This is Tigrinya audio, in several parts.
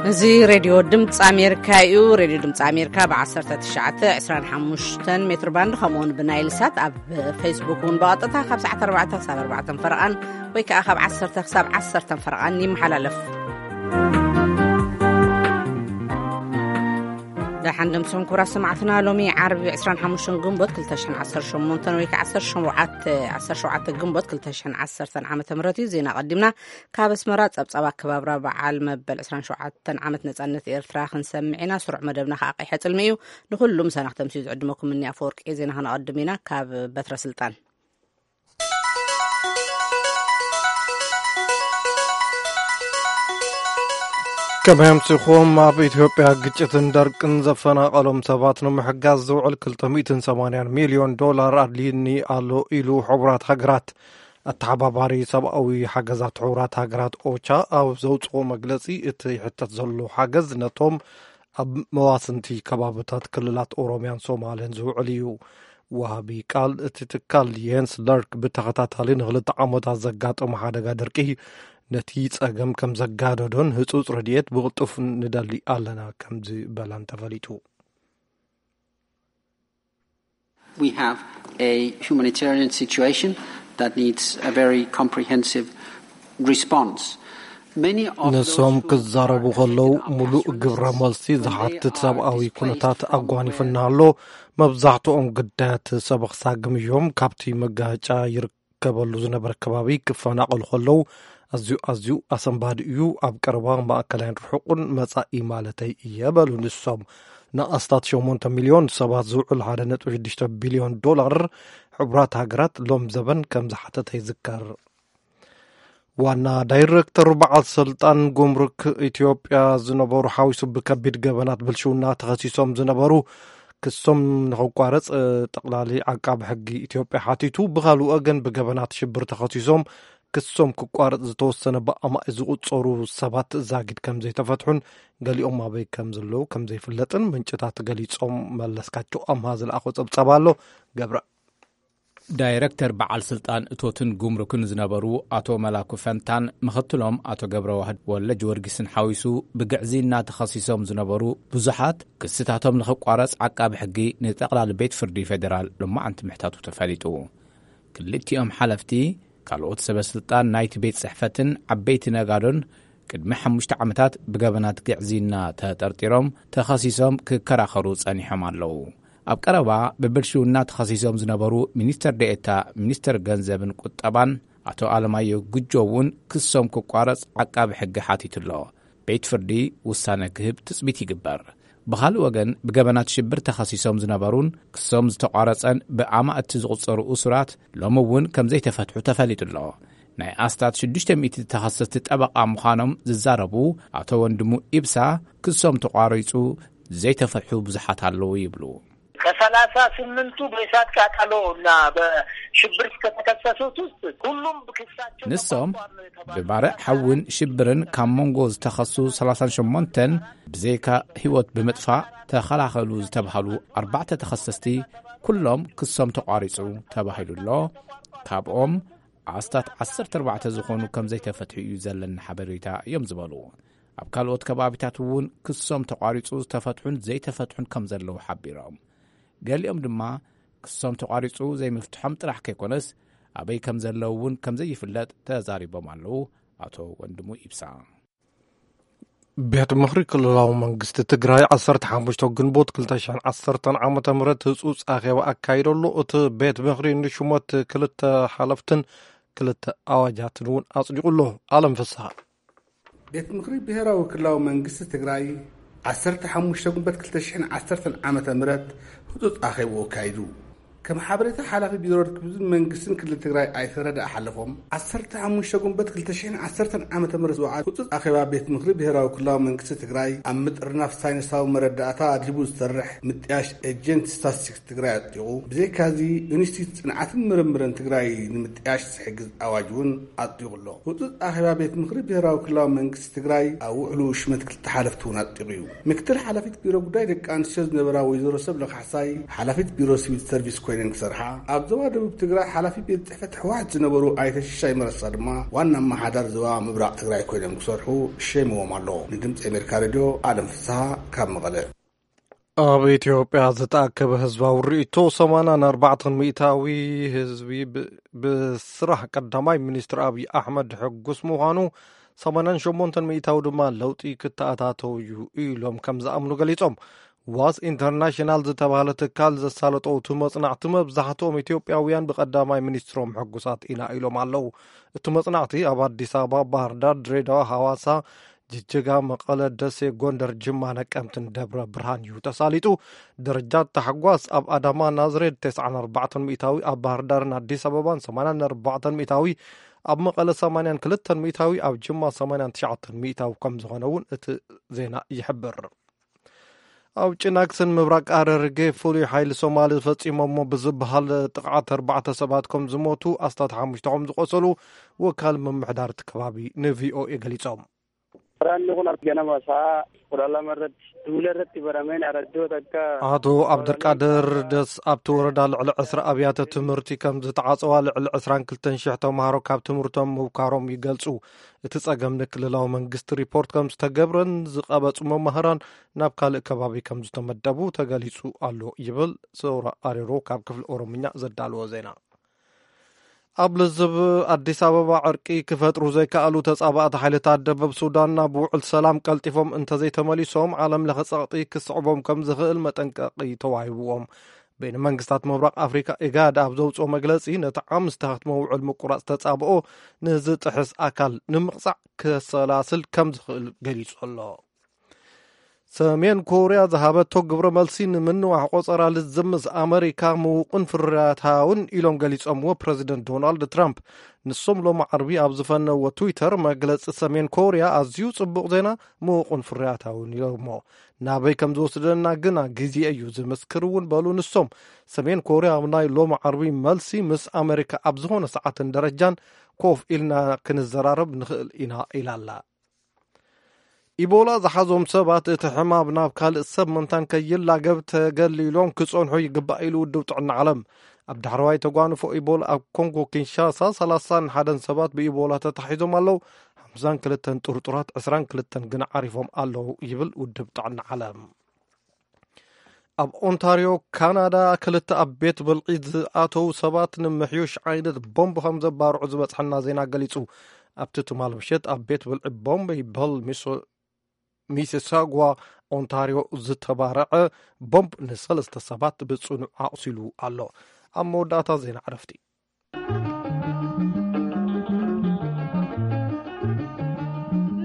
እዚ ሬድዮ ድምፂ ኣሜሪካ እዩ። ሬድዮ ድምፂ ኣሜሪካ ብ1925 ሜትር ባንድ፣ ከምኡውን ብናይል ሳት ኣብ ፌስቡክ እውን ብቐጥታ ካብ ሰዓት 4 ክሳብ 4 ፈረቓን ወይ ከዓ ካብ 10 ክሳብ 10 ፈረቓን ይመሓላለፍ። ደሓን ደምስኹም ክቡራት ሰማዕትና። ሎሚ ዓርቢ 25 ግንቦት 2018 ወይ ከዓ 17፣ 17 ግንቦት 2010 ዓመተ ምህረት እዩ። ዜና ቀዲምና ካብ ኣስመራ። ጸብጻብ ኣከባብራ በዓል መበል 27 ዓመት ነጻነት ኤርትራ ክንሰምዕ ኢና። ስሩዕ መደብና ከዓ ቀይሐ ጽልሚ እዩ። ንኹሉ ምሳና ክተምስዩ ዝዕድመኩም እኒ ኣፈወርቂ። ዜና ከነቐድም ኢና። ካብ በትረ ስልጣን። ከመይ ኣምሲኹም? ኣብ ኢትዮጵያ ግጭትን ደርቅን ዘፈናቐሎም ሰባት ንምሕጋዝ ዝውዕል 280 ሚልዮን ዶላር ኣድልይኒ ኣሎ ኢሉ ሕቡራት ሃገራት። ኣተሓባባሪ ሰብኣዊ ሓገዛት ሕቡራት ሃገራት ኦቻ ኣብ ዘውፅኦ መግለፂ፣ እቲ ይሕተት ዘሎ ሓገዝ ነቶም ኣብ መዋስንቲ ከባብታት ክልላት ኦሮሚያን ሶማልን ዝውዕል እዩ። ወሃቢ ቃል እቲ ትካል የንስ ለርክ ብተኸታታሊ ንክልተ ዓመታት ዘጋጠሙ ሓደጋ ደርቂ ነቲ ጸገም ከም ዘጋደዶን ህጹጽ ረድኤት ብቕልጡፍ ንደሊ ኣለና ከም ዝበላን ተፈሊጡ። We have a humanitarian situation that needs a very comprehensive response. Many of those ንሶም who ክዛረቡ ከለዉ፣ ሙሉእ ግብረ መልሲ ዝሓትት ሰብኣዊ ኩነታት ኣጓኒፍና ኣሎ። መብዛሕትኦም ግዳያት ሰበኽ ሳግም እዮም። ካብቲ መጋጫ ይርከበሉ ዝነበረ ከባቢ ክፈናቐሉ ከለዉ፣ ኣዝዩ፣ ኣዝዩ ኣሰንባዲ እዩ። ኣብ ቀረባ፣ ማእከላይን ርሑቕን መጻኢ ማለተይ እየ በሉ ንሶም። ንኣስታት 8 ሚልዮን ሰባት ዝውዕል 1.6 ቢልዮን ዶላር ሕቡራት ሃገራት ሎም ዘበን ከም ዝሓተተ ይዝከር። ዋና ዳይሬክተር በዓል ስልጣን ጉምሩክ ኢትዮጵያ ዝነበሩ ሓዊሱ ብከቢድ ገበናት ብልሽውና ተኸሲሶም ዝነበሩ ክሶም ንኽቋረጽ፣ እ፣ ጠቕላሊ ዓቃቢ ሕጊ ኢትዮጵያ ሓቲቱ። ብኻልእ ወገን ብገበናት ሽብር ተኸሲሶም ክሶም ክቋረጽ ዝተወሰነ ብኣማኢ ዝቑጸሩ ሰባት ዛጊድ ከም ዘይተፈትሑን ገሊኦም ኣበይ ከም ዘለዉ ከም ዘይፍለጥን ምንጭታት ገሊጾም። መለስካቸው ኣምሃ ዝለኣኾ ጸብጻብ ኣሎ። ገብረ ዳይረክተር በዓል ስልጣን እቶትን ጉምሩክን ዝነበሩ ኣቶ መላኩ ፈንታን ምኽትሎም ኣቶ ገብረ ዋህድ ወልደ ጊዮርጊስን ሓዊሱ ብግዕዝይና ተኸሲሶም ዝነበሩ ብዙሓት ክስታቶም ንኽቋረጽ ዓቃቢ ሕጊ ንጠቕላሊ ቤት ፍርዲ ፌዴራል ሎማዓንቲ ምሕታቱ ተፈሊጡ። ክልቲኦም ሓለፍቲ ካልኦት ሰበ ስልጣን ናይቲ ቤት ጽሕፈትን ዓበይቲ ነጋዶን ቅድሚ ሓሙሽተ ዓመታት ብገበናት ግዕዝይና ተጠርጢሮም ተኸሲሶም ክከራኸሩ ጸኒሖም ኣለዉ። ኣብ ቀረባ ብብልሽውና ተኸሲሶም ዝነበሩ ሚኒስተር ዴኤታ ሚኒስተር ገንዘብን ቁጠባን ኣቶ ኣለማየሁ ጉጆ እውን ክሶም ክቋረጽ ዓቃቢ ሕጊ ሓቲቱ ኣሎ። ቤት ፍርዲ ውሳነ ክህብ ትጽቢት ይግበር። ብኻልእ ወገን ብገበናት ሽብር ተኸሲሶም ዝነበሩን ክሶም ዝተቋረጸን ብኣማእቲ ዝቑጸሩ እሱራት ሎሚ እውን ከም ዘይተፈትሑ ተፈሊጡ ኣሎ። ናይ ኣስታት 600 ተኸሰስቲ ጠበቓ ምዃኖም ዝዛረቡ ኣቶ ወንድሙ ኢብሳ፣ ክሶም ተቋሪጹ ዘይተፈትሑ ብዙሓት ኣለዉ ይብሉ። ከ38ቱ በእሳት ቃጠሎ እና በሽብር ከተከሰሱት ውስጥ ሁሉም ክሳቸው ንሶም ተቋርጧል ነው የተባለው። ብባርዕ ሓውን ሽብርን ካብ መንጎ ዝተኸሱ 38ን ብዘይካ ህይወት ብምጥፋእ ተኸላኸሉ ዝተባህሉ ኣርባዕተ ተኸሰስቲ ኩሎም ክሶም ተቋሪጹ ተባሂሉ ኣሎ። ካብኦም ኣስታት 14 ዝኾኑ ከም ዘይተፈትሑ እዩ ዘለና ሓበሬታ እዮም ዝበሉ። ኣብ ካልኦት ከባቢታት እውን ክሶም ተቋሪጹ ዝተፈትሑን ዘይተፈትሑን ከም ዘለዉ ሓቢሮም። ገሊኦም ድማ ክሶም ተቋሪጹ ዘይምፍትሖም ጥራሕ ከይኮነስ ኣበይ ከም ዘለዉ እውን ከም ዘይፍለጥ ተዛሪቦም ኣለዉ ኣቶ ወንድሙ ኢብሳ። ቤት ምኽሪ ክልላዊ መንግስቲ ትግራይ 15 ግንቦት 2010 ዓመተ ምህረት ህጹጽ ኣኼባ ኣካይዶ ኣሎ። እቲ ቤት ምኽሪ ንሹመት ክልተ ሓለፍትን ክልተ ኣዋጃትን እውን ኣጽዲቑ ኣሎ። ኣለም ፍስሃ። ቤት ምኽሪ ብሔራዊ ክልላዊ መንግስቲ ትግራይ 15 ግንቦት 2010 ዓመተ ምህረት ህጹጽ ኣኼባኡ ኣካይዱ። ከም ሓበሬታ ሓላፊ ቢሮ ርክብን መንግስትን ክልል ትግራይ ኣይተ ረዳእ ሓለፎም፣ 15 ግንቦት 2010 ዓመተ ምህረት ዝወዓለ ህጹጽ ኣኼባ ቤት ምኽሪ ብሔራዊ ክልላዊ መንግስቲ ትግራይ ኣብ ምጥርናፍ ሳይንሳዊ መረዳእታ ኣድሊቡ ዝሰርሕ ምጥያሽ ኤጀንት ስታትስቲክስ ትግራይ ኣጽዲቑ። ብዘይካዚ ኢንስቲትዩት ጽንዓትን ምርምርን ትግራይ ንምጥያሽ ዝሕግዝ ኣዋጅ እውን ኣጽዲቑ ኣሎ። ህጹጽ ኣኼባ ቤት ምኽሪ ብሔራዊ ክልላዊ መንግስቲ ትግራይ ኣብ ውዕሉ ሽመት ክልተ ሓለፍቲ እውን ኣጽዲቑ እዩ። ምክትል ሓላፊት ቢሮ ጉዳይ ደቂ ኣንስትዮ ዝነበራ ወይዘሮ ሰብለ ካሕሳይ፣ ሓላፊት ቢሮ ሲቪል ሰርቪስ ኮይና ክሰርሓ፣ ኣብ ዞባ ደቡብ ትግራይ ሓላፊ ቤት ጽሕፈት ህወሓት ዝነበሩ ኣይተ ሽሻይ መረሳ ድማ ዋና ኣመሓዳር ዞባ ምብራቕ ትግራይ ኮይኖም ክሰርሑ ሸይምዎም ኣሎ። ንድምፂ ኣሜሪካ ሬድዮ ኣለም ፍስሃ ካብ መቐለ። ኣብ ኢትዮጵያ ዝተኣከበ ህዝባዊ ርእይቶ ሰማንያን ኣርባዕተን ሚእታዊ ህዝቢ ብ-፣ ብስራሕ ቀዳማይ ሚኒስትር ኣብይ ኣሕመድ ሕጉስ ምዃኑ፣ ሰማንያን ሸሞንተን ሚእታዊ ድማ ለውጢ ክተኣታተው እዩ ኢሎም ከም ዝኣምኑ ገሊጾም። ዋስ ኢንተርናሽናል ዝተባህለ ትካል ዘሳለጦ እቲ መጽናዕቲ፣ መብዛሕትኦም ኢትዮጵያውያን ብቀዳማይ ሚኒስትሮም ሕጉሳት ኢና ኢሎም ኣለዉ። እቲ መጽናዕቲ ኣብ ኣዲስ ኣበባ፣ ባህር ዳር፣ ድሬዳዋ፣ ሃዋሳ፣ ጅጅጋ፣ መቐለ፣ ደሴ፣ ጎንደር፣ ጅማ፣ ነቀምትን ደብረ ብርሃን እዩ ተሳሊጡ። ደረጃ ታሕጓስ ኣብ ኣዳማ፣ ናዝሬት፣ ተስዓን ኣርባዕተን ሚእታዊ፣ ኣብ ባህር ዳርን ኣዲስ ኣበባን ሰማንያን ኣርባዕተን ሚእታዊ፣ ኣብ መቐለ ሰማንያን ክልተን ሚእታዊ፣ ኣብ ጅማ ሰማንያን ትሽዓተን ሚእታዊ ከም ዝኾነ እውን እቲ ዜና ይሕብር። ኣብ ጭናክስን ምብራቕ ኣረርጌ ፍሉይ ሓይሊ ሶማሊ ፈጺሞሞ ብዝበሃል ጥቕዓት ኣርባዕተ ሰባት ከም ዝሞቱ፣ ኣስታት ሓሙሽተ ከም ዝቖሰሉ ወካል ምምሕዳር እቲ ከባቢ ንቪኦኤ ገሊጾም። Ranni kun argama isaa kudha lama irratti duula irratti barameen araddoota akka ኣቶ ኣብደርቃድር ደስ፣ ኣብቲ ወረዳ ልዕሊ ዕስራ ኣብያተ ትምህርቲ ከም ዝተዓጸዋ፣ ልዕሊ ዕስራን ክልተን ሽሕ ተምሃሮ ካብ ትምህርቶም ምብካሮም ይገልጹ። እቲ ጸገም ንክልላዊ መንግስቲ ሪፖርት ከም ዝተገብረን ዝቐበጹ መማህራን ናብ ካልእ ከባቢ ከም ዝተመደቡ ተገሊጹ ኣሎ ይብል ሰውራ ኣሬሮ ካብ ክፍሊ ኦሮምኛ ዘዳለዎ ዜና። ኣብ ልዝብ ኣዲስ ኣበባ ዕርቂ ክፈጥሩ ዘይከኣሉ ተጻባእቲ ሓይልታት ደቡብ ሱዳን ናብ ውዕል ሰላም ቀልጢፎም እንተዘይተመሊሶም ዓለም ለኸ ጸቕጢ ክስዕቦም ከም ዝኽእል መጠንቀቒ ተዋሂብዎም። በይነ መንግስታት ምብራቕ ኣፍሪካ ኢጋድ ኣብ ዘውፅኦ መግለፂ፣ ነቲ ዓም ዝተኸትመ ውዕል ምቁራፅ ተጻብኦ ንዝጥሕስ ኣካል ንምቕፃዕ ከሰላስል ከም ዝኽእል ገሊጹ ኣሎ። ሰሜን ኮርያ ዝሃበቶ ግብረ መልሲ ንምንዋሕ ቆጸራ ልዝብ ምስ ኣመሪካ ምውቕን ፍርያታውን ኢሎም ገሊጾምዎ ፕረዚደንት ዶናልድ ትራምፕ። ንሶም ሎሚ ዓርቢ ኣብ ዝፈነዎ ትዊተር መግለጺ ሰሜን ኮርያ ኣዝዩ ጽቡቕ ዜና፣ ምውቕን ፍርያታውን ኢሎሞ። ናበይ ከም ዝወስደና ግና ግዜ እዩ ዝምስክር እውን በሉ ንሶም። ሰሜን ኮርያ ኣብ ናይ ሎሚ ዓርቢ መልሲ ምስ ኣመሪካ ኣብ ዝኾነ ሰዓትን ደረጃን ኮፍ ኢልና ክንዘራረብ ንኽእል ኢና ኢላ ኣላ። ኢቦላ ዝሓዞም ሰባት እቲ ሕማም ናብ ካልእ ሰብ ምእንታን ከይላገብ ተገሊሎም ክጸንሑ ይግባእ ኢሉ ውድብ ጥዕና ዓለም። ኣብ ዳሕረዋይ ተጓንፎ ኢቦላ ኣብ ኮንጎ ኪንሻሳ ሰላሳን ሓደን ሰባት ብኢቦላ ተታሒዞም ኣለዉ። ሓምሳን ክልተን ጥርጡራት፣ ዕስራን ክልተን ግን ዓሪፎም ኣለዉ ይብል ውድብ ጥዕና ዓለም። ኣብ ኦንታርዮ ካናዳ ክልተ ኣብ ቤት ብልዒ ዝኣተዉ ሰባት ንምሕዩሽ ዓይነት ቦምብ ከም ዘባርዑ ዝበጽሐና ዜና ገሊጹ። ኣብቲ ትማል ምሸት ኣብ ቤት ብልዒ ቦምብ ይበል ሚሶ-፣ ሚሲሳጓ ኦንታርዮ ዝተባረዐ ቦምብ ንሰለስተ ሰባት ብጽኑዕ ኣቑሲሉ ኣሎ። ኣብ መወዳእታ ዜና ዕረፍቲ።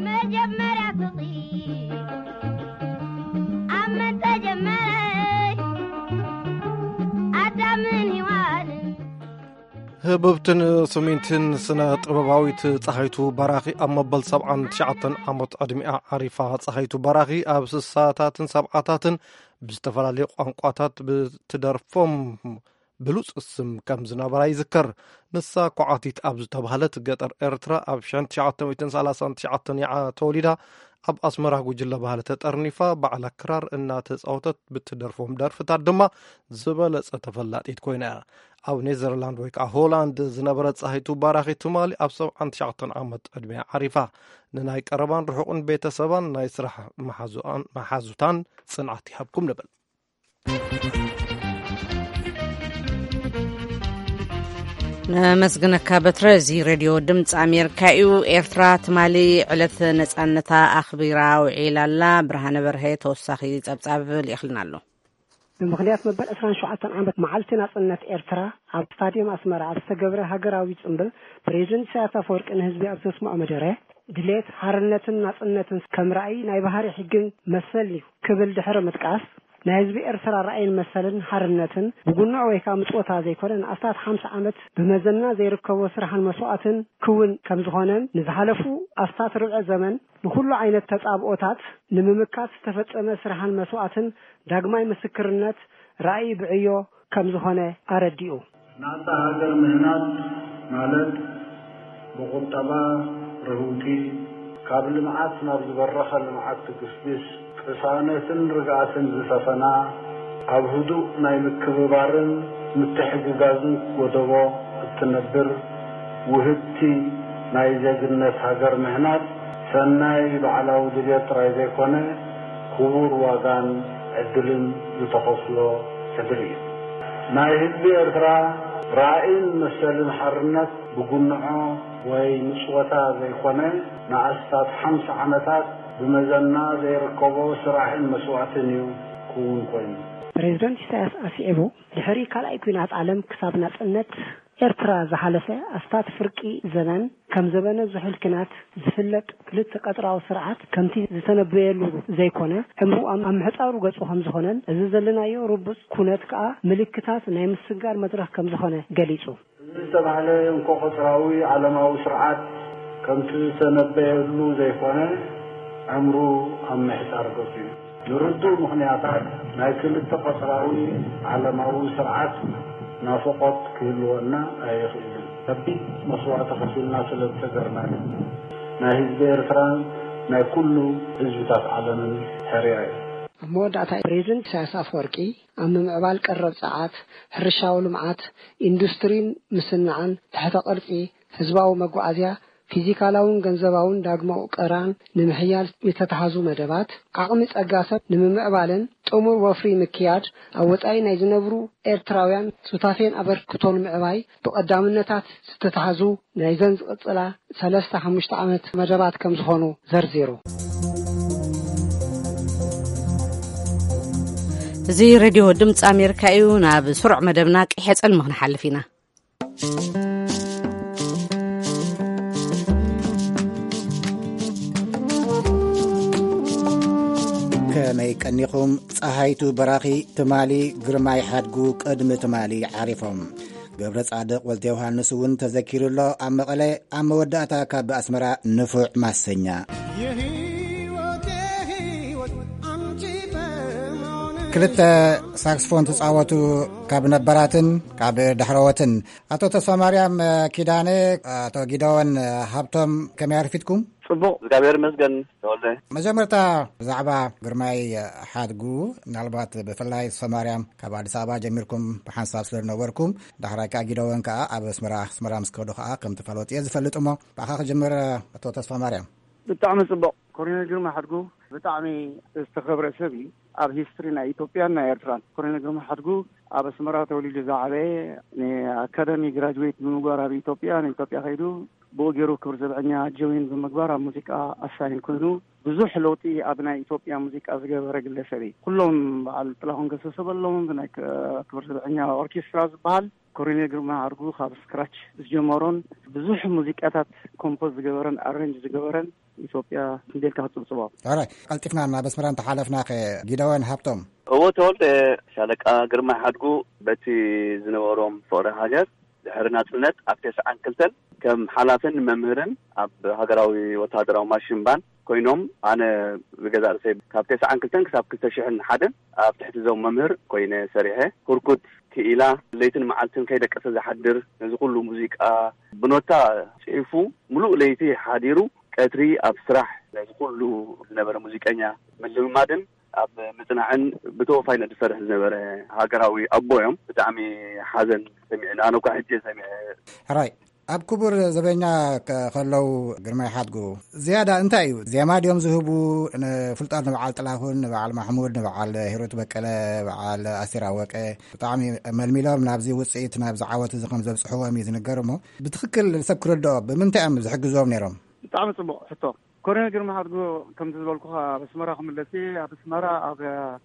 መጀመርያ ፍቕሪ ኣብ መን ተጀመረ? ኣዳምን ሔዋንን። ህብብትን ስሚንትን ስነ ጥበባዊት ጸሃይቱ በራኺ ኣብ መበል ሰብዓን ትሽዓተን ዓመት ዕድሚኣ ዓሪፋ። ጸሃይቱ በራኺ ኣብ ስሳታትን ሰብዓታትን ብዝተፈላለየ ቋንቋታት ብትደርፎም ብሉጽ ስም ከም ዝነበራ ይዝከር። ንሳ ኳዓቲት ኣብ ዝተባህለት ገጠር ኤርትራ ኣብ ሽሕን ትሽዓተ ሚእትን ሰላሳን ትሽዓተን እያ ተወሊዳ። ኣብ ኣስመራ ጉጅለ ባህሊ ተጠርኒፋ፣ ባዕላ ክራር እናተጻወተት ብትደርፎም ደርፍታት ድማ ዝበለጸ ተፈላጢት ኮይና እያ። ኣብ ኔዘርላንድ ወይ ከዓ ሆላንድ ዝነበረት ጸሃይቱ ባራኺ ትማሊ ኣብ ሰብዓን ትሽዓተን ዓመት ዕድሜያ ዓሪፋ። ንናይ ቀረባን ርሑቕን ቤተሰባን ናይ ስራሕ መሓዙኣን-፣ መሓዙታን ጽንዓት ይሃብኩም ንብል። ነመስግነካ በትረ። እዚ ሬድዮ ድምፂ ኣሜሪካ እዩ። ኤርትራ ትማሊ ዕለት ነፃነታ ኣኽቢራ ውዒላ ኣላ። ብርሃነ በርሀ ተወሳኺ ጸብጻብ ልኢኽልና ኣሎ። ብምኽንያት መበል ዕስራን ሸውዓተን ዓመት መዓልቲ ናጽነት ኤርትራ፣ ኣብ ስታድየም ኣስመራ ኣብ ዝተገብረ ሃገራዊ ጽምብል፣ ፕሬዚደንት ኢሳያስ ኣፈወርቂ ንህዝቢ ኣብ ዘስምዖ መደረ፣ ድሌት ሓርነትን ናጽነትን ከም ራእይ ናይ ባህሪ ሕግን መሰልን እዩ ክብል ድሕሪ ምጥቃስ፣ ናይ ህዝቢ ኤርትራ ራእይን መሰልን ሓርነትን ብጉንዕ ወይ ከዓ ምጽወታ ዘይኮነ፣ ንኣስታት ሓምሳ ዓመት ብመዘና ዘይርከቦ ስራሕን መስዋእትን ክውን ከም ዝኾነን፣ ንዝሓለፉ ኣስታት ርብዒ ዘመን ንኹሉ ዓይነት ተጻብኦታት ንምምካት ዝተፈጸመ ስራሕን መስዋእትን ዳግማይ ምስክርነት ራእይ ብዕዮ ከም ዝኾነ ኣረዲኡ። ናጻ ሃገር ምህናጽ ማለት ብቁጠባ ርህውቲ፣ ካብ ልምዓት ናብ ዝበረኸ ልምዓት ትግስግስ፣ ቅሳነትን ርግኣትን ዝሰፈና፣ ኣብ ህዱእ ናይ ምክብባርን ምትሕግጋዝን ወደቦ እትነብር ውህብቲ ናይ ዜግነት ሃገር ምህናጽ ሰናይ ባዕላዊ ድልየት ጥራይ ዘይኮነ፣ ክቡር ዋጋን ዕድልን ዝተኸፍሎ ሕድሪ እዩ። ናይ ህዝቢ ኤርትራ ራእይን መሰልን ሓርነት ብጉንዖ ወይ ምጽወታ ዘይኮነ፣ ንኣስታት ሓምሳ ዓመታት ብመዘና ዘይርከቦ ስራሕን መስዋእትን እዩ ክውን ኮይኑ። ፕሬዝደንት ኢሳያስ ኣስዒቡ፣ ድሕሪ ካልኣይ ኲናት ዓለም ክሳብ ናጽነት ኤርትራ ዝሓለፈ ኣስታት ፍርቂ ዘመን፣ ከም ዘበነ ዝሑል ኲናት ዝፍለጥ ክልተ ቀጽራዊ ስርዓት ከምቲ ዝተነበየሉ ዘይኮነ፣ ዕምሩ ኣብ ኣብ ምሕጻሩ ገጹ ከም ዝኾነን፣ እዚ ዘለናዮ ርቡጽ ኩነት ከኣ ምልክታት ናይ ምስግጋር መድረኽ ከም ዝኾነ ገሊጹ። እዚ ዝተባህለ እንኮ ቀጽራዊ ዓለማዊ ስርዓት ከምቲ ዝተነበየሉ ዘይኮነ፣ ዕምሩ ኣብ ምሕጻር ገጹ እዩ። ንርዱእ ምኽንያታት ናይ ክልተ ቀጽራዊ ዓለማዊ ስርዓት ናፍቖት ክህልወና ኣይኽእልን። ከቢድ መስዋእቲ ከፊልና ስለ ዝሰገርና እዩ። ናይ ህዝቢ ኤርትራን ናይ ኩሉ ህዝብታት ዓለምን ሕርያ እዩ። ኣብ መወዳእታ ፕሬዝደንት ኢሳያስ ኣፈወርቂ ኣብ ምምዕባል ቀረብ ጸዓት፣ ሕርሻዊ ልምዓት፣ ኢንዱስትሪን ምስንዓን፣ ትሕተ ቅርጺ፣ ህዝባዊ መጓዓዝያ፣ ፊዚካላውን ገንዘባውን ዳግማዊ ቀራን ንምሕያል ዝተታሕዙ መደባት፣ ዓቕሚ ጸጋ ሰብ ንምምዕባልን ጥሙር ወፍሪ ምክያድ ኣብ ወጻኢ ናይ ዝነብሩ ኤርትራውያን ሱታፌን ኣበርክቶን ምዕባይ ብቐዳምነታት ዝተታሕዙ ናይዘን ዝቕጽላ ሰለስተ ሓሙሽተ ዓመት መደባት ከም ዝኾኑ ዘርዚሩ። እዚ ሬድዮ ድምፂ ኣሜሪካ እዩ። ናብ ስሩዕ መደብና ቀይሕ ጸልሚ ክንሓልፍ ኢና። ከመይ ቀኒኹም? ጸሃይቱ በራኺ ትማሊ፣ ግርማይ ሓድጉ ቅድሚ ትማሊ ዓሪፎም። ገብረ ጻድቕ ወልደ ዮሃንስ እውን ተዘኪሩ ኣሎ። ኣብ መቐለ ኣብ መወዳእታ ካብ ኣስመራ ንፉዕ ማሰኛ። የህይወት የህይወት ኣንቲ በመሆን ክልተ ሳክስፎን ትጻወቱ ካብ ነበራትን ካብ ዳሕረዎትን ኣቶ ተስፋ ማርያም ኪዳነ፣ ኣቶ ጊደወን ሃብቶም፣ ከመይ ኣርፊድኩም? ጽቡቕ፣ እግዚኣብሔር ይመስገን ተወልደ። መጀመርታ ብዛዕባ ግርማይ ሓድጉ፣ ምናልባት ብፍላይ ተስፋ ማርያም ካብ ኣዲስ ኣበባ ጀሚርኩም ብሓንሳብ ስለ ዝነበርኩም፣ ዳሕራይ ከኣ ጊደወን ከኣ ኣብ ኣስመራ፣ ኣስመራ ምስ ከዱ ከኣ ከም ተፋለጡ እየ ዝፈልጥ። እሞ ብኣኻ ክጅምር ኣቶ ተስፋ ማርያም። ብጣዕሚ ጽቡቕ። ኮሎኔል ግርማ ሓድጉ ብጣዕሚ ዝተኸብረ ሰብ እዩ። ኣብ ሂስትሪ ናይ ኢትዮጵያን ናይ ኤርትራን። ኮሎኔል ግርማ ሓድጉ ኣብ ኣስመራ ተወሊዱ ዝዓበየ፣ ንኣካዳሚ ግራጅዌት ብምግባር ኣብ ኢትዮጵያ፣ ንኢትዮጵያ ከይዱ ብኡ ገይሩ ክብር ዘብዐኛ ጆይን ብምግባር ኣብ ሙዚቃ ኣሳይን ኮይኑ ብዙሕ ለውጢ ኣብ ናይ ኢትዮጵያ ሙዚቃ ዝገበረ ግለሰብ እዩ። ኩሎም በዓል ጥላሁን ገሰሰ በሎም፣ ናይ ክ-፣ ክብር ዘብዐኛ ኦርኬስትራ ዝበሃል ኮሎኔል ግርማ ሓድጉ ካብ ስክራች ዝጀመሮን ብዙሕ ሙዚቃታት ኮምፖዝ ዝገበረን ኣሬንጅ ዝገበረን ኢትዮጵያ ክንደልካ ክጽብጽቦ። ሕራይ፣ ቀልጢፍና ናብ ኣስመራ እንተሓለፍና ከ ጊደወን ሃብቶም? እወ ተወልደ፣ ሻለቃ ግርማ ሓድጉ በቲ ዝነበሮም ፍቕሪ ሃገር ድሕሪ ናጽነት ኣብ ተስዓን ክልተን ከም ሓላፍን መምህርን ኣብ ሃገራዊ ወተሃደራዊ ማሽን ባንድ ኮይኖም፣ ኣነ ብገዛእ ርእሰይ ካብ ተስዓን ክልተን ክሳብ ክልተ ሽሕን ሓደን ኣብ ትሕቲ እዞም መምህር ኮይነ ሰሪሐ። ህርኩት ክኢላ ለይትን መዓልትን ከይደቀሰ ዝሓድር፣ ነዚ ኩሉ ሙዚቃ ብኖታ ጽሒፉ፣ ምሉእ ለይቲ ሓዲሩ ቀትሪ ኣብ ስራሕ ነዚ ኩሉ ዝነበረ ሙዚቀኛ ምልምማድን ኣብ ምጽናዕን ብተወፋይነት ዝሰርሕ ዝነበረ ሃገራዊ ኣቦ እዮም። ብጣዕሚ ሓዘን ሰሚዕና፣ ኣነ እኳ ሕጂ ሰሚዐ። ሕራይ፣ ኣብ ክቡር ዘበኛ ከ-፣ ከለዉ ግርማይ ሓድጉ ዝያዳ እንታይ እዩ? ዜማ ድዮም ዝህቡ? ንፍልጠት ንበዓል ጥላሁን፣ ንበዓል ማሕሙድ፣ ንበዓል ሂሩት በቀለ፣ በዓል ኣስቴር ኣወቀ ብጣዕሚ መልሚሎም ናብዚ ውጽኢት፣ ናብዚ ዓወት እዚ ከም ዘብጽሕዎም እዩ ዝንገር። እሞ ብትኽክል ሰብ ክርድኦ ብምንታይ እዮም ዝሕግዝዎም ነይሮም? ብጣዕሚ ጽቡቕ ሕቶ። ኮሎኔል ግርማ ሓድጉ፣ ከምቲ ዝበልኩኻ፣ ኣብ ኣስመራ ክምለስ እየ። ኣብ ኣስመራ ኣብ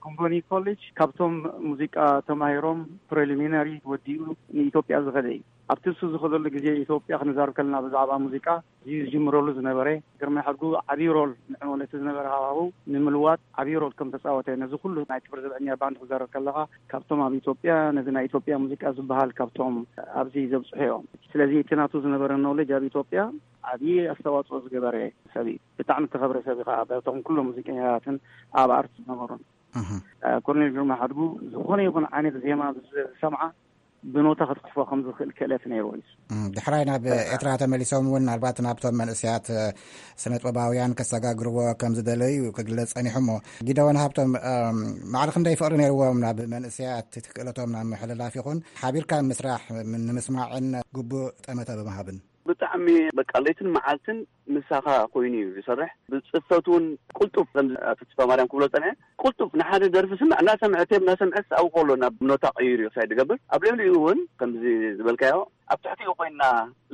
ኮምቦኒ ኮሌጅ ካብቶም ሙዚቃ ተማሂሮም ፕሬሊሚናሪ ወዲኡ ንኢትዮጵያ ዝኸደ እዩ። ኣብቲ እሱ ዝኸደሉ ግዜ ኢትዮጵያ ክንዛረብ ከለና ብዛዕባ ሙዚቃ እዩ ዝጅምረሉ ዝነበረ። ግርማይ ሓድጉ ዓብዪ ሮል ንዕኡ ነቲ ዝነበረ ሃዋህው ንምልዋጥ ዓብዪ ሮል ከም ተጻወተ፣ ነዚ ኩሉ ናይ ክብር ዘብዐኛ ባንድ ክዛረብ ከለኻ፣ ካብቶም ኣብ ኢትዮጵያ ነዚ ናይ ኢትዮጵያ ሙዚቃ ዝበሃል ካብቶም ኣብዚ ዘብጽሑ እዮም። ስለዚ እቲ ናቱ ዝነበረ ኖሌጅ ኣብ ኢትዮጵያ ዓብዪ ኣስተዋጽኦ ዝገበረ ሰብ እዩ። ብጣዕሚ ዝተኸብረ ሰብ እዩ ከዓ በቶም ኩሎም ሙዚቀኛታትን ኣብ ኣርት ዝነበሩን። እህ። እ፣ ኮሎኔል ግርማ ሓድጉ ዝኾነ ይኹን ዓይነት ዜማ ዝሰምዓ ብኖታ ክትጽሕፎ ከም ዝኽእል ክእለት ነይርዎ እዩ። እም፣ ድሕራይ ናብ ኤርትራ ተመሊሶም እውን ምናልባት ናብቶም መንእሰያት፣ እ፣ ስነ ጥበባውያን ከሰጋግርዎ ከም ዝደለዩ ክግለጽ ጸኒሑ። እሞ ጊደወን ሃብቶም፣ እም፣ ማዕረ ክንደይ ፍቕሪ ነይርዎም ናብ መንእሰያት እቲ ክእለቶም ናብ ምሕልላፍ ይኹን ሓቢርካ ምስራሕ ንምስማዕን ግቡእ ጠመተ ብምሃብን? ብጣዕሚ በቃ ለይትን መዓልትን ምሳኻ ኮይኑ እዩ ዝሰርሕ። ብጽፈት እውን ቅልጡፍ፣ ከምዚ ኣቶ ተስፋ ማርያም ክብሎ ጸንሐ፣ ቅልጡፍ ንሓደ ደርፊ ስምዕ እናሰምዐ፣ ቴብ እናሰምዐ ኣብኡ ከሎ ናብ ኖታ ቀይሩ እዩ ሳይ ዝገብር። ኣብ ልዕሊኡ እውን ከምዚ ዝበልካዮ ኣብ ትሕቲኡ ኮይና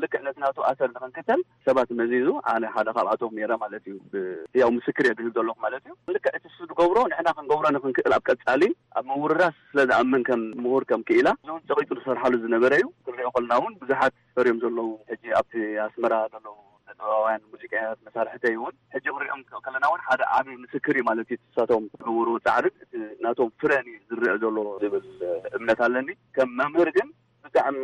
ልክዕ ነቲ ናቱ ኣሰር ንኽንክተል ሰባት መዚዙ፣ ኣነ ሓደ ካብኣቶም ነይረ ማለት እዩ። ብ-፣ ያው ምስክር እየ ዝህብ ዘለኹ ማለት እዩ። ልክዕ እቲ እሱ ዝገብሮ ንሕና ክንገብሮ ንኽንክእል ኣብ ቀጻሊ ኣብ ምውርራስ ስለ ዝኣምን ከም ምሁር ከም ክኢላ እዚ እውን ጸቒጡ ዝሰርሓሉ ዝነበረ እዩ። ክንሪኦ ከለና እውን ብዙሓት ፈርዮም ዘለዉ ሕጂ ኣብቲ ኣስመራ ዘለዉ ጥበባውያን ሙዚቀኛታት መሳርሕተይ እውን ሕጂ ክሪኦም ከለና እውን ሓደ ዓቢ ምስክር እዩ ማለት እዩ። ንሳቶም ዝገብርዎ ጻዕርን እቲ ናቶም ፍረን እዩ ዝረአ ዘሎ ዝብል እምነት ኣለኒ። ከም መምህር ግን ብጣዕሚ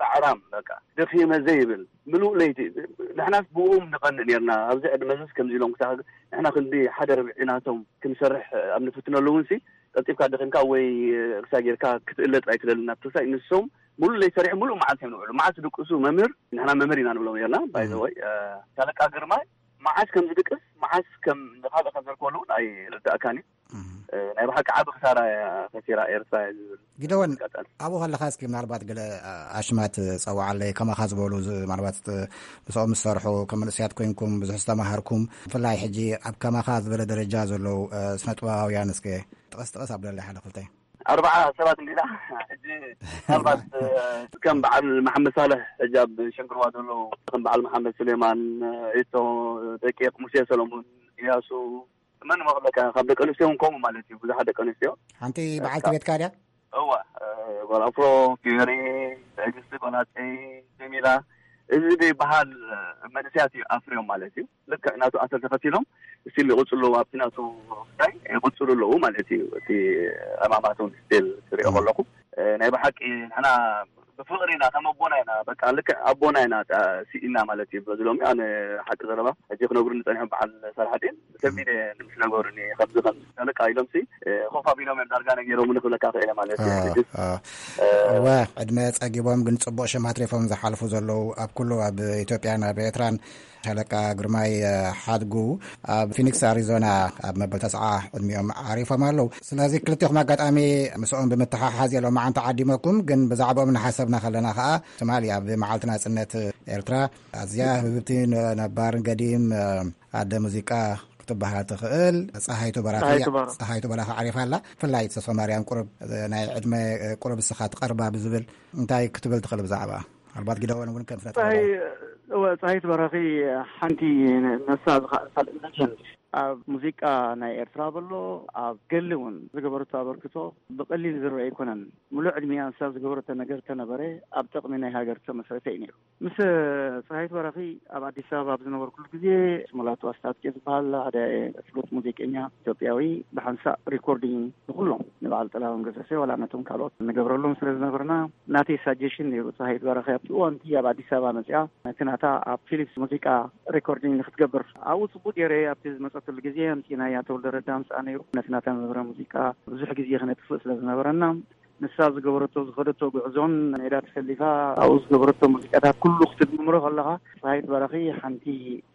ጻዕራም፣ በቃ ደኺመ ዘይብል ምሉእ ለይቲ፣ ንሕናስ ብእኦም ንቐንእ ነርና። ኣብዚ ዕድመ እዚስ ከምዚ ኢሎም ክሳዕ ንሕና ክንዲ ሓደ ርብዒ ናቶም ክንሰርሕ ኣብ ንፍትነሉ እውን ሲ ቀልጢፍካ ደኺምካ ወይ ክሳ ጌርካ ክትእለጥ ኣይትደልን። ናብ ተሳይ ንሶም ሙሉ ለይ ሰሪሑ ሙሉ መዓልቲ እዮም ንውዕሉ። መዓልቲ ድቅሱ መምህር፣ ንሕና መምህር ኢና ንብሎም ነርና። ባይ ዘ ወይ ሻለቃ ግርማይ መዓስ ከም ዝድቅስ፣ መዓስ ከም ንኻልእ ከም ዘርከበሉ እውን ኣይርዳእካን እዩ። ናይ ብሓቂ ዓቢ ክሳራ እያ ከሲራ ኤርትራ እያ ዝብል። ጊደወን፣ ኣጋጣሚ ኣብኡ ከለኻ እስኪ ምናልባት ገለ ኣሽማት ጸውዓለይ፣ ከማኻ ዝበሉ ዝ-፣ ምናልባት ጥ-፣ ምስኦም ዝሰርሑ ከም መንእሰያት ኮይንኩም ብዙሕ ዝተማሃርኩም፣ ብፍላይ ሕጂ ኣብ ከማኻ ዝበለ ደረጃ ዘለዉ፣ እ፣ ስነ ጥበባውያን እስከ ጥቐስ ጥቐስ ኣብለለይ ሓደ ክልተ። ኣርባዓ ሰባት እንዲና ሕጂ ምናልባት፣ እ፣ ከም በዓል መሓመድ ሳልሕ ሕጂ ኣብ ሸንግርዋ ዘለዉ፣ ከም በዓል መሓመድ ስሌማን፣ እ፣ ኢቶ፣ ደቂቕ፣ ሙሴ ሰለሙን፣ ኢያሱ፣ መን መኽለካ ካብ ደቂ ኣንስትዮ እውን ከምኡ ማለት እዩ። ብዙሓት ደቂ ኣንስትዮ። ሓንቲ በዓልቲ ቤትካ ድያ? እዋ፣ እ፣ ጓል ኣፍሮ፣ ፊዮሪ፣ ትዕግስቲ፣ ጓል ሃፀይ፣ ጀሚላ፣ እዚ ዘይበሃል መንእሰያት እዩ ኣፍርዮም ማለት እዩ። ልክዕ ናቱ ኣሰር ተኸቲሎም ስቲል ይቕፅሉ ኣለዉ ኣብቲ ናቱ ጉዳይ ይቕፅሉ ኣለዉ ማለት እዩ። እቲ ዕማማት እውን ስቲል ትሪኦ ከለኹ፣ እ፣ ናይ ብሓቂ ንሕና ብፍቕሪ ኢና፣ ከም ኣቦና ኢና፣ በቃ ልክዕ ኣቦና ኢና፣ ጣ-፣ ስኢና ማለት እዩ። በዚ ሎሚ ኣነ ሓቂ ዘረባ ሕጂ ክነግሩኒ ጸኒሖም በዓል ሳልሓዲን ብሰንቢደ ምስ ነገሩኒ ከምዚ ከምዚ ተለቃ ኢሎም ሲ፣ እ፣ ኮፍ ኣቢሎም እዮም ዳርጋ ነጊሮም ንኽብለካ ክእለ ማለት እዩ። አ፣ ሕጂ፣ አ። እ፣ እወ፣ ዕድመ ጸጊቦም ግን ጽቡቕ ሽም ኣትሪፎም ዝሓልፉ ዘለዉ ኣብ ኩሉ ኣብ ኢትዮጵያን ኣብ ኤርትራን ሻለቃ ግርማይ፣ እ፣ ሓድጉ ኣብ ፊኒክስ ኣሪዞና ኣብ መበል ተስዓ ዕድሚኦም ዓሪፎም ኣለዉ። ስለዚ ክልቴኹም ኣጋጣሚ ምስኦም ብምትሓሓዝ እዮም መዓንታ ዓዲመኩም፣ ግን ብዛዕባኦም እናሓሰብና ከለና ከኣ ትማሊ ኣብ መዓልቲ ናጽነት ኤርትራ ኣዝያ ህብብቲ ነ-፣ ነባርን ገዲም፣ እ፣ ኣደ ሙዚቃ ክትበሃል ትኽእል ጸሃይቱ በራኺ፣ ጸሃይቱ በራ-፣ ጸሃይቱ በራኺ ዓሪፋ ኣላ። ብፍላይ ተስፋ ማርያም ቁሩብ፣ እ፣ ናይ ዕድመ፣ እ፣ ቁሩብ ንስኻ ትቐርባ ብዝብል እንታይ ክትብል ትኽእል ብዛዕባ? ምናልባት ጊደወን እውን ከም ፍለጥ ጸሃይ-፣ እወ፣ ጸሃይቱ በራኺ ሓንቲ ነ-፣ ነሳ ዝኻ-፣ ካልእ ሌጀንድ ኣብ ሙዚቃ ናይ ኤርትራ በሎ፣ ኣብ ገሊ እውን ዝገበረቶ ኣበርክቶ ብቐሊል ዝረአ ኣይኮነን። ሙሉእ ዕድሚኣ ንሳ ዝገበረቶ ነገር ተነበረ፣ ኣብ ጥቕሚ ናይ ሃገር ተመስረተ እዩ ነይሩ። ምስ ጸሃይቱ በራኺ ኣብ ኣዲስ ኣበባ ኣብ ዝነበርኩሉ ግዜ፣ ስሙላቱ ኣስታጥቄ ዝበሃል ሓደ ፍሉጥ ሙዚቀኛ ኢትዮጵያዊ ብሓንሳእ ሪኮርዲንግ ንኹሎም፣ ንበዓል ጥላሁን ገሰሰ ዋላ ነቶም ካልኦት ንገብረሎም ስለ ዝነበርና፣ ናተይ ሳጀሽን ነይሩ። ጸሃይቱ በራኺ ኣብቲ እዋን እቲ ኣብ ኣዲስ ኣበባ መጺኣ ነቲ ናታ ኣብ ፊሊፕስ ሙዚቃ ሪኮርዲንግ ንክትገብር ኣብኡ ጽቡቅ ገይረ ኣብቲ ዝመጸትሉ ግዜ ኣምጺእናያ። ተወልደ ረዳ ምስኣ ነይሩ። ነቲ ናታ መምህረ ሙዚቃ ብዙሕ ግዜ ክነጥፍእ ስለ ዝነበረና፣ ንሳ ዝገበረቶ ዝኸደቶ ጉዕዞን ሜዳ ተሰሊፋ ኣብኡ ዝገበረቶ ሙዚቃታት ኩሉ ክትድምሮ ከለኻ፣ ጸሃይት በራኺ ሓንቲ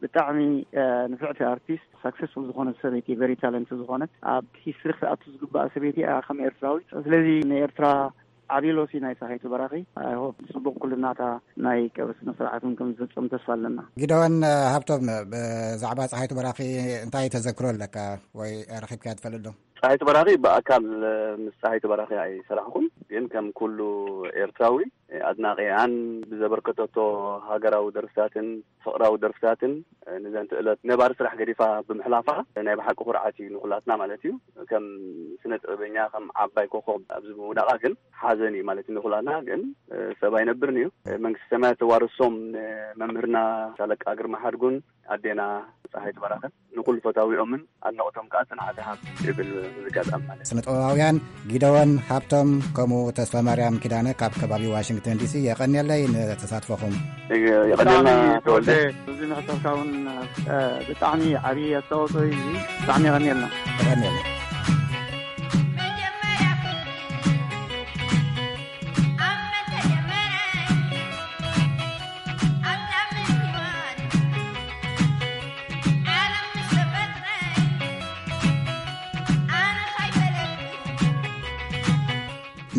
ብጣዕሚ፣ እ፣ ንፍዕቲ ኣርቲስት፣ ሳክሰስፉል ዝኾነት ሰበይቲ፣ ቨሪ ታለንት ዝኾነት፣ ኣብ ሂስትሪ ክትኣቱ ዝግባኣ ሰበይቲ እያ ከም ኤርትራዊት። ስለዚ ንኤርትራ ዓቢ ሎሲ ናይ ጸሃይቱ በራኺ። ኣይ ሆፕ ጽቡቕ ኩልናታ ናይ ቀብሪ ስነ ስርዓት እውን ከም ዝፍጸም ተስፋ ኣለና። ጊደወን ሃብቶም፣ ብዛዕባ ጸሃይቱ በራኺ እንታይ ተዘክሮ ኣለካ ወይ ረኺብካያ ትፈልጥ ዶ? ጸሃይቱ በራኺ ብኣካል ምስ ጸሃይቱ በራኺ ኣይሰራሕኩን፣ ግን ከም ኩሉ ኤርትራዊ ኣድናቒኣን ብዘበርከተቶ ሃገራዊ ደርፍታትን ፍቕራዊ ደርፍታትን፣ ንዘንትእለት ነባሪ ስራሕ ገዲፋ ብምሕላፋ ናይ ብሓቂ ኩርዓት እዩ ንኹላትና ማለት እዩ። ከም ስነ ጥበበኛ፣ ከም ዓባይ ኮኾብ ኣብዚ ምውዳቓ ግን ሓዘን እዩ ማለት እዩ ንኹላትና። ግን ሰብ ኣይነብርን እዩ። መንግስቲ ሰማያት ተዋርሶም ንመምህርና ሻለቃ ግርማ ሓድጉን ኣዴና ጸሃይቱ በራኽን ንኹሉ ፈታዊኦምን ኣድናቖቶም ከኣ ጽንዓት ይሃብ ይብል እዚ ኣጋጣሚ ማለት እዩ። ስነ ጥበባውያን ጊደወን ሃብቶም ከምኡ ተስፋ ማርያም ኪዳነ ካብ ከባቢ ዋሽንግተን ዲሲ የቐንየለይ ንተሳትፎኹም። የቐንየልና ብጣዕሚ ተወልደ። ተወልደ፣ እዚ ንሕተትካ እውን፣ እ፣ ብጣዕሚ ዓብዪ ኣስተዋፅኦ እዩ። ብጣዕሚ የቐንየልና። የቐንየልና።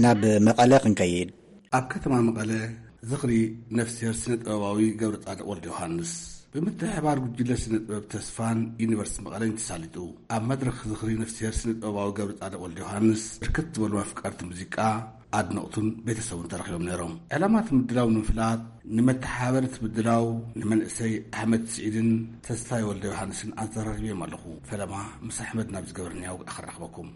ናብ መቐለ ክንከይድ። ኣብ ከተማ መቐለ ዝኽሪ ነፍስሄር ስነ ጥበባዊ ገብረጻድቕ ወልደዮሃንስ ብምትሕብባር ጉጅለ ስነ ጥበብ ተስፋን ዩኒቨርሲቲ መቐለን እዩ ተሳሊጡ። ኣብ መድረኽ ዝኽሪ ነፍስሄር ስነ ጥበባዊ ገብረጻድቕ ወልደዮሃንስ ብርክት ዝበሉ ኣፍቀርቲ ሙዚቃ፣ ኣድነቕቱን ቤተሰቡን ተረኺቦም ነይሮም። ዕላማ እቲ ምድላው ንምፍላጥ፣ ንመተሓባበሪ እቲ ምድላው ንመንእሰይ ኣሕመድ ስዒድን ተስፋይ ወልደዮሃንስን ኣዘራሪበዮም ኣለኹ። ፈለማ ምስ ኣሕመድ ናብ ዝገበርናዮ ወግዒ ክራኽበኩም።